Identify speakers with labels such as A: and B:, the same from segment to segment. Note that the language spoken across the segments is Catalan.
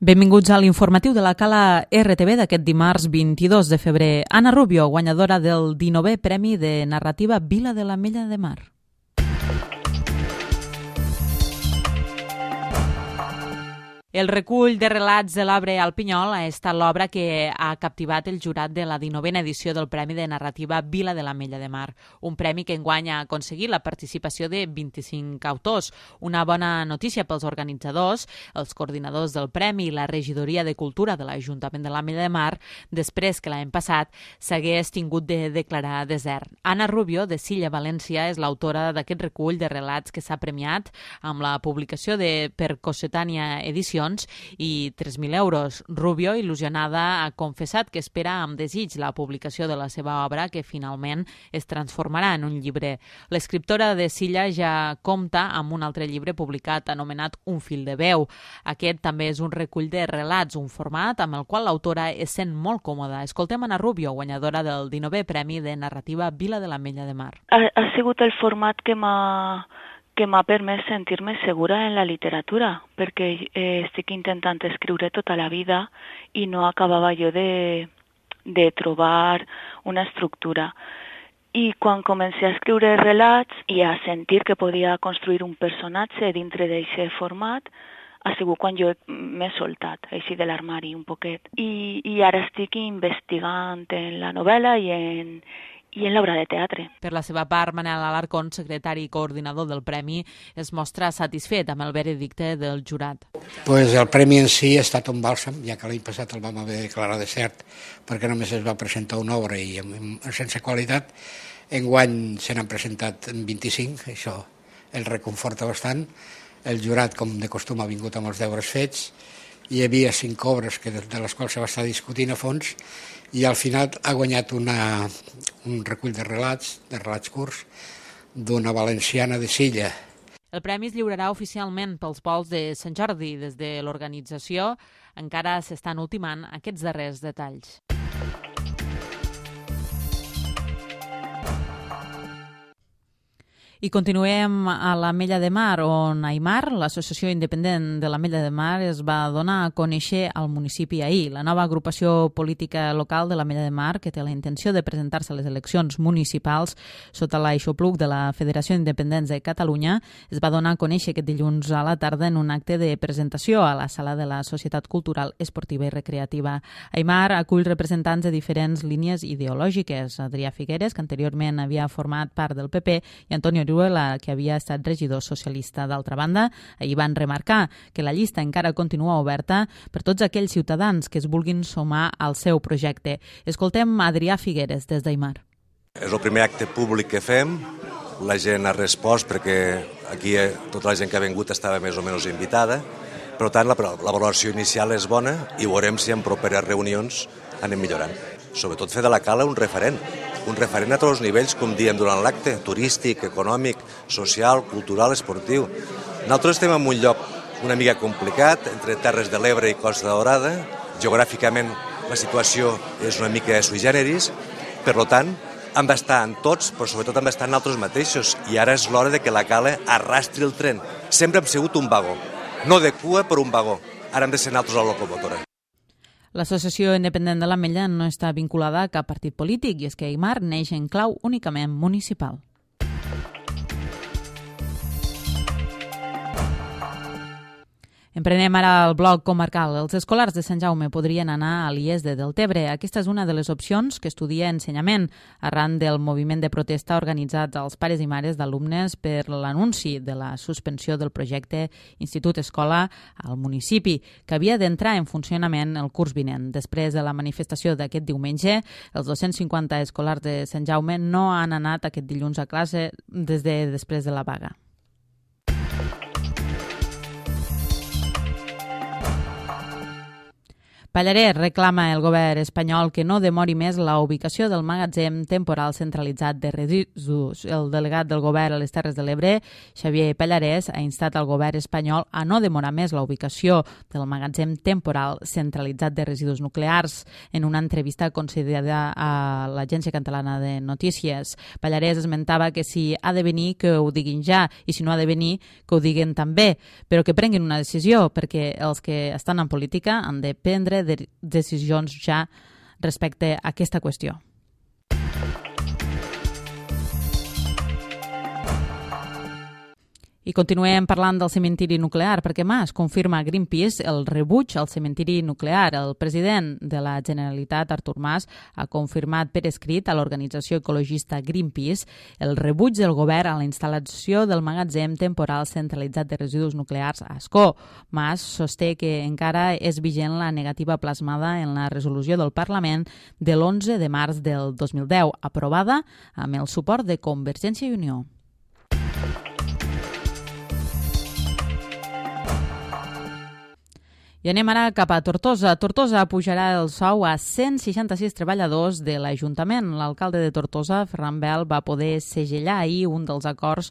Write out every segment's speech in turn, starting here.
A: Benvinguts a l'informatiu de la Cala RTV d'aquest dimarts 22 de febrer. Anna Rubio, guanyadora del 19è Premi de Narrativa Vila de l'Ametlla de Mar. El recull de relats de l'Arbre al Pinyol ha estat l'obra que ha captivat el jurat de la 19a edició del Premi de Narrativa Vila de l'Ametlla de Mar, un premi que enguany ha aconseguit la participació de 25 autors. Una bona notícia pels organitzadors, els coordinadors del Premi i la Regidoria de Cultura de l'Ajuntament de l'Ametlla de Mar, després que l'any passat s'hagués tingut de declarar desert. Anna Rubio, de Silla, València, és l'autora d'aquest recull de relats que s'ha premiat amb la publicació per Cossetània Edicions i 3.000 euros. Rubio, il·lusionada, ha confessat que espera amb desig la publicació de la seva obra, que finalment es transformarà en un llibre. L'escriptora de Silla ja compta amb un altre llibre publicat anomenat Un fil de veu. Aquest també és un recull de relats, un format amb el qual l'autora es sent molt còmoda. Escoltem Anna Rubio, guanyadora del 19è Premi de Narrativa Vila de l'Ametlla de Mar.
B: Ha sigut el format que m'ha permès sentir-me segura en la literatura, perquè estic intentant escriure tota la vida i no acabava jo de trobar una estructura. I quan comencé a escriure relats i a sentir que podia construir un personatge dintre d'aquest format, ha sigut quan jo m'he soltat, així de l'armari un poquet. I ara estic investigant en la novel·la i en l'obra de teatre.
A: Per la seva part, Manel Alarcón, secretari i coordinador del Premi, es mostra satisfet amb el veredicte del jurat.
C: El Premi en si ha estat un bàlsam, ja que l'any passat el vam haver de declarar desert perquè només es va presentar una obra i sense qualitat. Enguany se n'han presentat 25, això el reconforta bastant. El jurat, com de costum, ha vingut amb els deures fets. Hi havia 5 obres de les quals se va estar discutint a fons i al final ha guanyat un recull de relats curts d'una valenciana de Silla.
A: El premi es lliurarà oficialment pels volts de Sant Jordi. Des de l'organització encara s'estan ultimant aquests darrers detalls. I continuem a l'Ametlla de Mar, on Aimar, l'Associació Independent de l'Ametlla de Mar, es va donar a conèixer al municipi ahir. La nova agrupació política local de l'Ametlla de Mar, que té la intenció de presentar-se a les eleccions municipals sota l'aixopluc de la Federació d'Independents de Catalunya, es va donar a conèixer aquest dilluns a la tarda en un acte de presentació a la sala de la Societat Cultural, Esportiva i Recreativa. Aimar acull representants de diferents línies ideològiques. Adrià Figueres, que anteriorment havia format part del PP, i Antonio Orihuela, que havia estat regidor socialista. D'altra banda, ahir van remarcar que la llista encara continua oberta per tots aquells ciutadans que es vulguin sumar al seu projecte. Escoltem Adrià Figueres des d'Aimar.
D: És el primer acte públic que fem. La gent ha respost perquè aquí tota la gent que ha vingut estava més o menys invitada. Per tant, la valoració inicial és bona i veurem si en properes reunions anem millorant. Sobretot fer de la Cala un referent a tots els nivells, com diem durant l'acte, turístic, econòmic, social, cultural, esportiu. Nosaltres estem en un lloc una mica complicat, entre Terres de l'Ebre i Costa Daurada. Geogràficament la situació és una mica sui generis, per tant, hem d'estar en tots, però sobretot hem d'estar en nosaltres mateixos. I ara és l'hora de que la Cala arrastri el tren. Sempre hem sigut un vagó, no de cua, però un vagó. Ara hem de ser nosaltres la locomotora.
A: L'Associació Independent de l'Ametlla no està vinculada a cap partit polític i és que Aimar neix en clau únicament municipal. Emprenem ara el bloc comarcal. Els escolars de Sant Jaume podrien anar a l'IES de Deltebre. Aquesta és una de les opcions que estudia Ensenyament, arran del moviment de protesta organitzat als pares i mares d'alumnes per l'anunci de la suspensió del projecte Institut-Escola al municipi, que havia d'entrar en funcionament el curs vinent. Després de la manifestació d'aquest diumenge, els 250 escolars de Sant Jaume no han anat aquest dilluns a classe des de després de la vaga. Pallarès reclama el govern espanyol que no demori més la ubicació del magatzem temporal centralitzat de residus. El delegat del govern a les Terres de l'Ebre, Xavier Pallarès, ha instat al govern espanyol a no demorar més la ubicació del magatzem temporal centralitzat de residus nuclears. En una entrevista concedida a l'Agència Catalana de Notícies, Pallarès esmentava que si ha de venir, que ho diguin ja, i si no ha de venir, que ho diguin també, però que prenguin una decisió, perquè els que estan en política han de prendre decisions ja respecte a aquesta qüestió. I continuem parlant del cementiri nuclear, perquè Mas confirma a Greenpeace el rebuig al cementiri nuclear. El president de la Generalitat, Artur Mas, ha confirmat per escrit a l'organització ecologista Greenpeace el rebuig del govern a la instal·lació del magatzem temporal centralitzat de residus nuclears a Ascó. Mas sosté que encara és vigent la negativa plasmada en la resolució del Parlament de l'11 de març del 2010, aprovada amb el suport de Convergència i Unió. I anem ara cap a Tortosa. Tortosa pujarà el sou a 166 treballadors de l'Ajuntament. L'alcalde de Tortosa, Ferran Bel, va poder segellar ahir un dels acords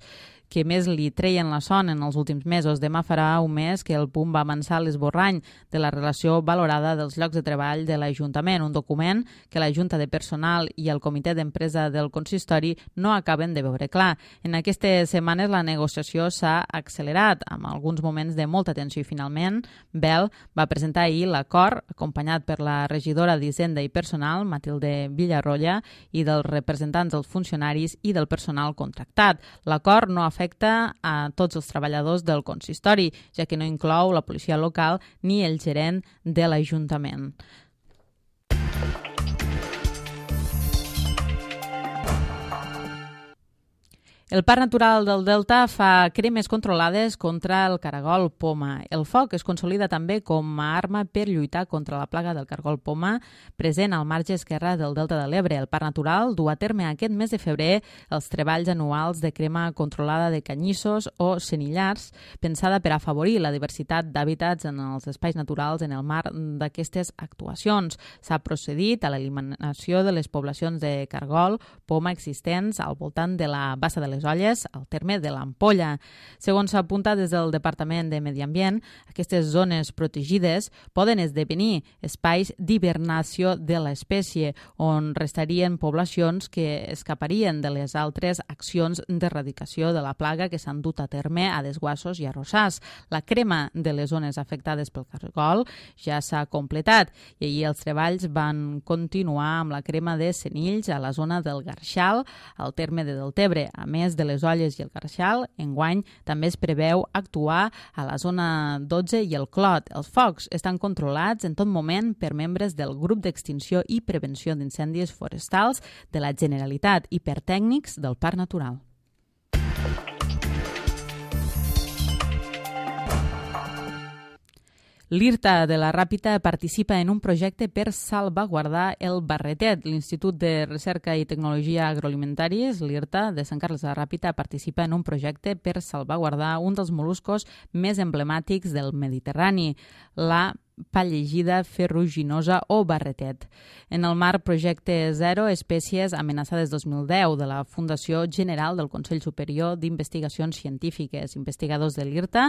A: que més li treien la son en els últims mesos. Demà farà un mes que el PUM va avançar l'esborrany de la relació valorada dels llocs de treball de l'Ajuntament, un document que la Junta de Personal i el Comitè d'Empresa del Consistori no acaben de veure clar. En aquestes setmanes la negociació s'ha accelerat, amb alguns moments de molta tensió, i finalment Bel va presentar ahir l'acord, acompanyat per la regidora d'Hisenda i Personal, Matilde Villarroya, i dels representants dels funcionaris i del personal contractat. L'acord no afecta a tots els treballadors del consistori, ja que no inclou la policia local ni el gerent de l'Ajuntament. El Parc Natural del Delta fa cremes controlades contra el caragol poma. El foc es consolida també com a arma per lluitar contra la plaga del caragol poma present al marge esquerre del Delta de l'Ebre. El Parc Natural du a terme aquest mes de febrer els treballs anuals de crema controlada de canyissos o senillars, pensada per afavorir la diversitat d'hàbitats en els espais naturals en el marc d'aquestes actuacions. S'ha procedit a l'eliminació de les poblacions de caragol poma existents al voltant de la Bassa de les Olles, al terme de l'Ampolla. Segons s'apunta des del Departament de Medi Ambient, aquestes zones protegides poden esdevenir espais d'hibernació de l'espècie, on restarien poblacions que escaparien de les altres accions d'erradicació de la plaga que s'han dut a terme a desguassos i arrossars. La crema de les zones afectades pel caragol ja s'ha completat i ahir els treballs van continuar amb la crema de senills a la zona del Garxal, al terme de Deltebre. A més de les Olles i el Garxal, enguany també es preveu actuar a la zona 12 i el Clot. Els focs estan controlats en tot moment per membres del Grup d'Extinció i Prevenció d'Incendis Forestals de la Generalitat i per tècnics del Parc Natural. L'IRTA de la Ràpita participa en un projecte per salvaguardar el barretet. L'Institut de Recerca i Tecnologia Agroalimentàries, l'IRTA, de Sant Carles de la Ràpita, participa en un projecte per salvaguardar un dels mol·luscos més emblemàtics del Mediterrani, la pallegida ferruginosa o barretet. En el marc Projecte Zero Espècies Amenaçades 2010 de la Fundació General del Consell Superior d'Investigacions Científiques, investigadors de l'IRTA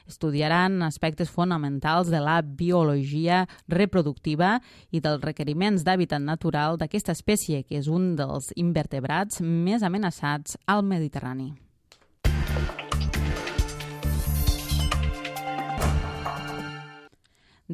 A: estudiaran aspectes fonamentals de la biologia reproductiva i dels requeriments d'hàbitat natural d'aquesta espècie, que és un dels invertebrats més amenaçats al Mediterrani.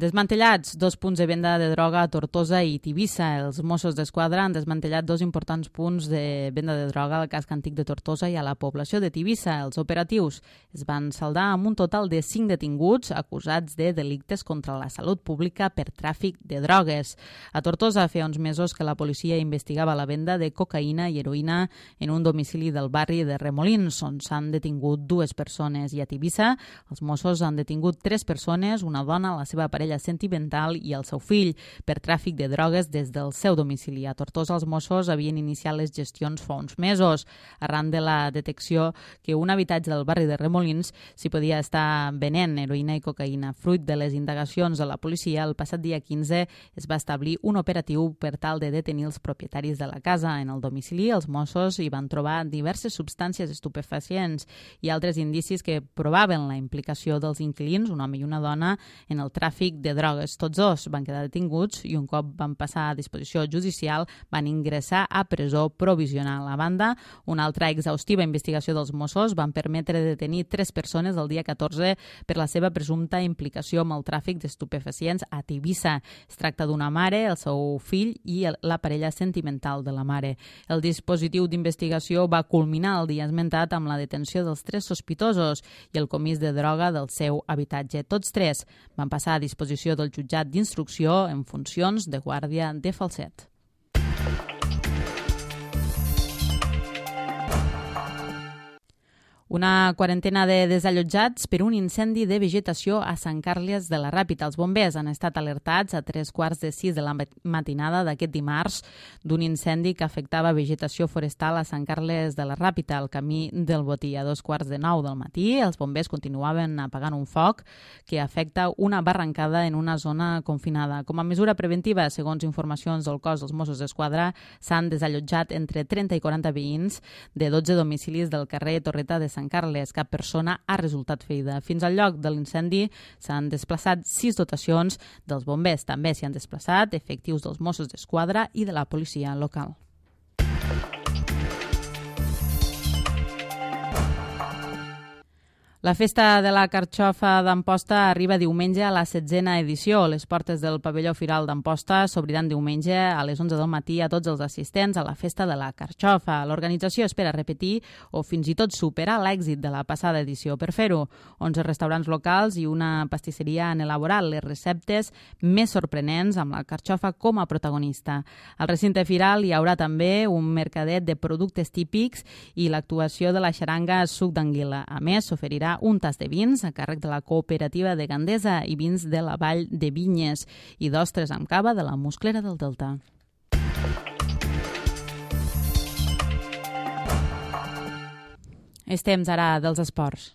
A: Desmantellats 2 punts de venda de droga a Tortosa i Tivissa. Els Mossos d'Esquadra han desmantellat 2 importants punts de venda de droga al casc antic de Tortosa i a la població de Tivissa. Els operatius es van saldar amb un total de 5 detinguts acusats de delictes contra la salut pública per tràfic de drogues. A Tortosa feia uns mesos que la policia investigava la venda de cocaïna i heroïna en un domicili del barri de Remolins, on s'han detingut 2 persones, i a Tivissa els Mossos han detingut 3 persones, una dona, la seva parella parella sentimental i el seu fill per tràfic de drogues des del seu domicili. A Tortosa els Mossos havien iniciat les gestions fa uns mesos, arran de la detecció que un habitatge del barri de Remolins s'hi podia estar venent heroïna i cocaïna. Fruit de les indagacions de la policia, el passat dia 15 es va establir un operatiu per tal de detenir els propietaris de la casa. En el domicili, els Mossos hi van trobar diverses substàncies estupefacients i altres indicis que provaven la implicació dels inquilins, un home i una dona, en el tràfic de drogues. Tots dos van quedar detinguts i un cop van passar a disposició judicial van ingressar a presó provisional. A banda, una altra exhaustiva investigació dels Mossos van permetre detenir 3 persones el dia 14 per la seva presumpta implicació amb el tràfic d'estupefacients a Tivissa. Es tracta d'una mare, el seu fill i la parella sentimental de la mare. El dispositiu d'investigació va culminar el dia esmentat amb la detenció dels 3 sospitosos i el comís de droga del seu habitatge. Tots 3 van passar a disposició del jutjat d'instrucció en funcions de guàrdia de Falset. Una quarantena de desallotjats per un incendi de vegetació a Sant Carles de la Ràpita. Els bombers han estat alertats a 3:45 de la matinada d'aquest dimarts d'un incendi que afectava vegetació forestal a Sant Carles de la Ràpita, al camí del Botí. A 2:45 del matí, els bombers continuaven apagant un foc que afecta una barrancada en una zona confinada. Com a mesura preventiva, segons informacions del cos dels Mossos d'Esquadra, s'han desallotjat entre 30 i 40 veïns de 12 domicilis del carrer Torreta de Sant Carles. Cap persona ha resultat ferida. Fins al lloc de l'incendi s'han desplaçat 6 dotacions dels bombers. També s'hi han desplaçat efectius dels Mossos d'Esquadra i de la policia local. La festa de la carxofa d'Amposta arriba diumenge a la 7a edició. Les portes del pavelló Firal d'Amposta s'obriran diumenge a les 11 del matí a tots els assistents a la festa de la carxofa. L'organització espera repetir o fins i tot superar l'èxit de la passada edició. Per fer-ho, 11 restaurants locals i una pastisseria han elaborat les receptes més sorprenents amb la carxofa com a protagonista. Al recinte Firal hi haurà també un mercadet de productes típics i l'actuació de la xaranga Suc d'Anguila. A més, s'oferirà un tast de vins a càrrec de la cooperativa de Gandesa i vins de la Vall de Vinyes i d'ostres amb cava de la Musclera del Delta. És temps ara dels esports.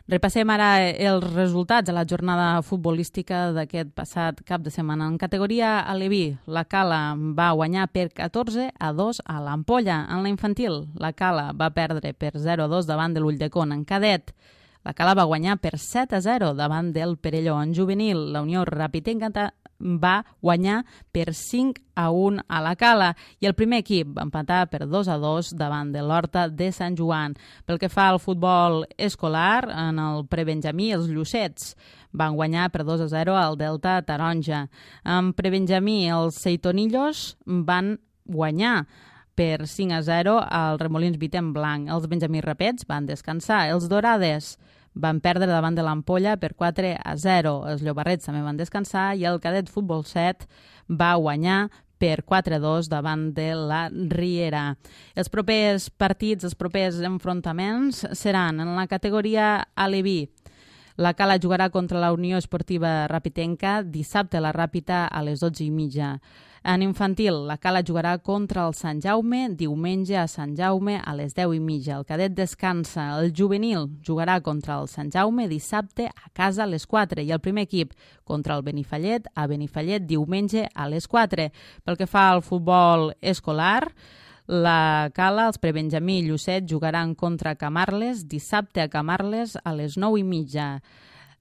A: Repassem ara els resultats de la jornada futbolística d'aquest passat cap de setmana. En categoria aleví, la Cala va guanyar per 14-2 a l'Ampolla. En la infantil, la Cala va perdre per 0-2 davant de l'Ulldecon. En cadet, la Cala va guanyar per 7-0 davant del Perelló. En juvenil, la Unió Rapitenca va guanyar per 5-1 a la Cala i el primer equip va empatar per 2-2 davant de l'Horta de Sant Joan. Pel que fa al futbol escolar, en el prebenjamí, els Llucets van guanyar per 2-0 al Delta Taronja. En prebenjamí, els Seitonillos van guanyar per 5-0 al Remolins Vitem Blanc. Els benjamí Rapets van descansar. Els Dorades van perdre davant de l'Ampolla per 4-0. Els Llobarrets també van descansar i el Cadet Futbol 7 va guanyar per 4-2 davant de la Riera. Els propers partits, els propers enfrontaments seran en la categoria aleví. La Cala jugarà contra la Unió Esportiva Rapitenca dissabte a la Ràpita a les 12:30. En infantil, la Cala jugarà contra el Sant Jaume diumenge a Sant Jaume a les 10:30. El cadet descansa. El juvenil jugarà contra el Sant Jaume dissabte a casa a les 4 i el primer equip contra el Benifallet a Benifallet diumenge a les 4. Pel que fa al futbol escolar, la Cala, els prebenjamí i Llucet jugaran contra Camarles dissabte a Camarles a les 9:30.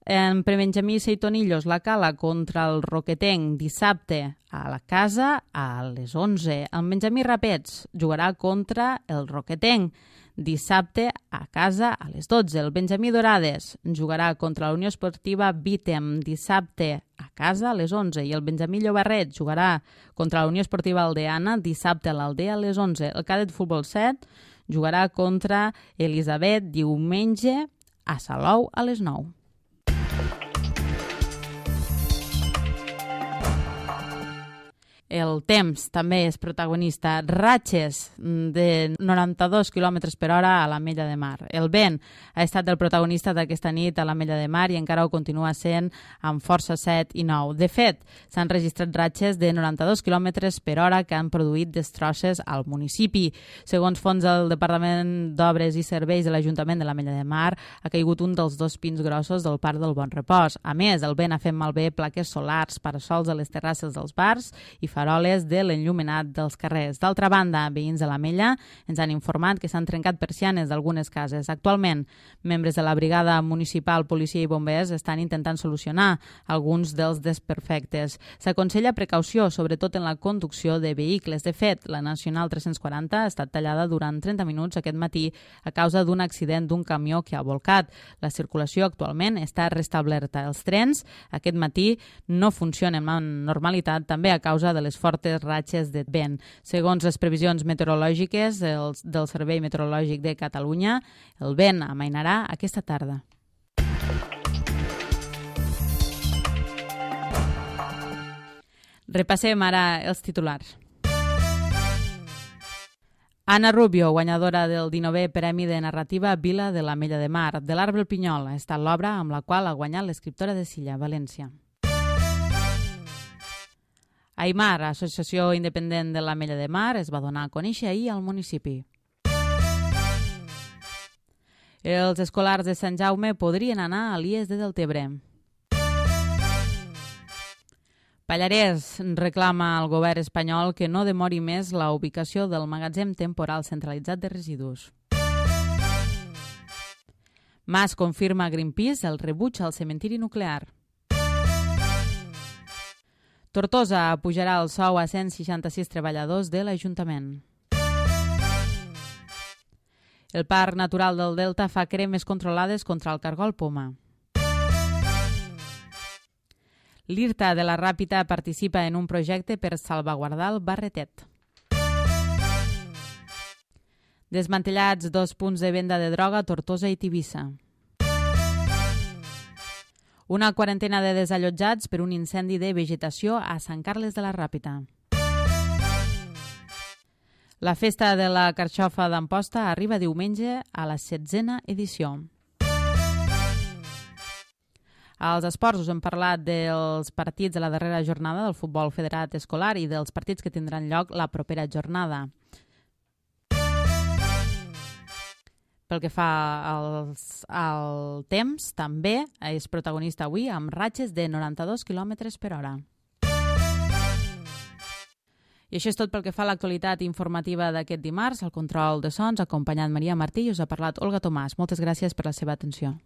A: En prebenjamí i Seitonillos, la Cala contra el Roquetenc dissabte a la casa a les 11. En Benjamí Rapets jugarà contra el Roquetenc dissabte a casa a les 12. El Benjamí Dorades jugarà contra la Unió Esportiva Vitem dissabte a casa a les 11. I el Benjamí Llobarret jugarà contra la Unió Esportiva Aldeana dissabte a l'Aldea a les 11. El Cadet Futbol 7 jugarà contra Elisabet diumenge a Salou a les 9. El temps també és protagonista. Ratxes de 92 km per hora a l'Ametlla de Mar. El vent ha estat el protagonista d'aquesta nit a l'Ametlla de Mar i encara ho continua sent amb força 7 i 9. De fet, s'han registrat ratxes de 92 km per hora que han produït destrosses al municipi. Segons fons del Departament d'Obres i Serveis de l'Ajuntament de l'Ametlla de Mar, ha caigut un dels 2 pins grossos del Parc del Bon Repòs. A més, el vent ha fet malbé plaques solars, parasols a les terrasses dels bars i faroles de l'enllumenat dels carrers. D'altra banda, veïns de l'Ametlla ens han informat que s'han trencat persianes d'algunes cases. Actualment, membres de la brigada municipal, policia i bombers estan intentant solucionar alguns dels desperfectes. S'aconsella precaució, sobretot en la conducció de vehicles. De fet, la Nacional 340 ha estat tallada durant 30 minuts aquest matí a causa d'un accident d'un camió que ha volcat. La circulació actualment està restablerta. Els trens aquest matí no funcionen amb normalitat, també a causa de les fortes ratxes de vent. Segons les previsions meteorològiques del Servei Meteorològic de Catalunya, el vent amainarà aquesta tarda. Repassem ara els titulars. Anna Rubio, guanyadora del 19è Premi de Narrativa Vila de l'Ametlla de Mar. De l'arbre el pinyol ha estat l'obra amb la qual ha guanyat l'escriptora de Silla, València. Aimar, Associació Independent de l'Ametlla de Mar, es va donar a conèixer ahir al municipi. Els escolars de Sant Jaume podrien anar a l'IES de Deltebre. Pallarès reclama al govern espanyol que no demori més la ubicació del magatzem temporal centralitzat de residus. Mas confirma a Greenpeace el rebuig al cementiri nuclear. Tortosa pujarà el sou a 166 treballadors de l'Ajuntament. El Parc Natural del Delta fa cremes controlades contra el cargol poma. L'IRTA de la Ràpita participa en un projecte per salvaguardar el Barretet. Desmantellats 2 punts de venda de droga a Tortosa i Tivissa. Una quarantena de desallotjats per un incendi de vegetació a Sant Carles de la Ràpita. La festa de la carxofa d'Amposta arriba diumenge a la 16a edició. Als esports us hem parlat dels partits de la darrera jornada del futbol federat escolar i dels partits que tindran lloc la propera jornada. Pel que fa al temps, també és protagonista avui amb ratxes de 92 km per hora. I això és tot pel que fa a l'actualitat informativa d'aquest dimarts. Al control de sons ha acompanyat Maria Martí i us ha parlat Olga Tomàs. Moltes gràcies per la seva atenció.